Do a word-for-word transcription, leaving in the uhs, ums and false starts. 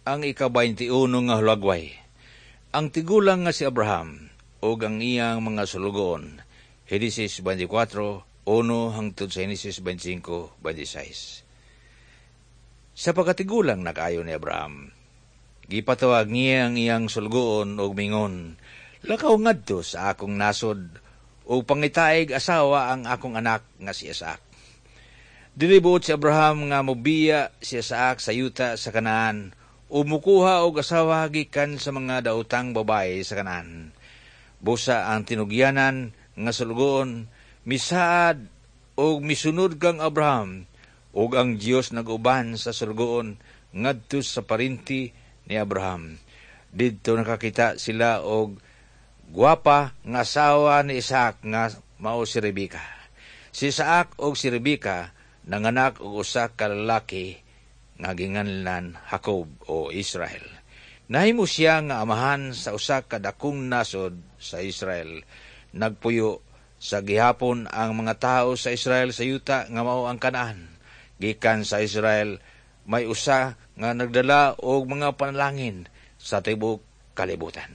Ang ika-twenty-one nga hulagway. Ang tigulang nga si Abraham ug ang iyang mga sulugoon. Henesis twenty-four, one hangtod sa Henesis twenty-five, twenty-six. Sa pagkatigulang na kaayo ni Abraham, gipatawag niya ang iyang sulugoon ug mingon, "Lakaw ngadto sa akong nasod ug pangitaig asawa ang akong anak nga si Isaac." Dili buot si Abraham nga mobiya si Isaac sa yuta sa Kanaan o mukuha og asawa gikan sa mga daotang babae sa Kanaan. Busa ang tinugyanan nga sulugoon misaad og misunod kang Abraham, ug ang Dios nag-uban sa sulugoon ngadto sa parinti ni Abraham. Didto nakakita sila og gwapa nga asawa ni Isaac nga mao si Rebeka. Si Isaac og si Rebeka nanganak og usa ka lalaki nga ginganlan Jacob o Israel. Nahimo siya nga amahan sa usa ka dakong nasod sa Israel. Nagpuyo sa gihapon ang mga tawo sa Israel sa yuta nga mao ang Kanaan. Gikan sa Israel may usa nga nagdala og mga panalangin sa tibuok kalibutan.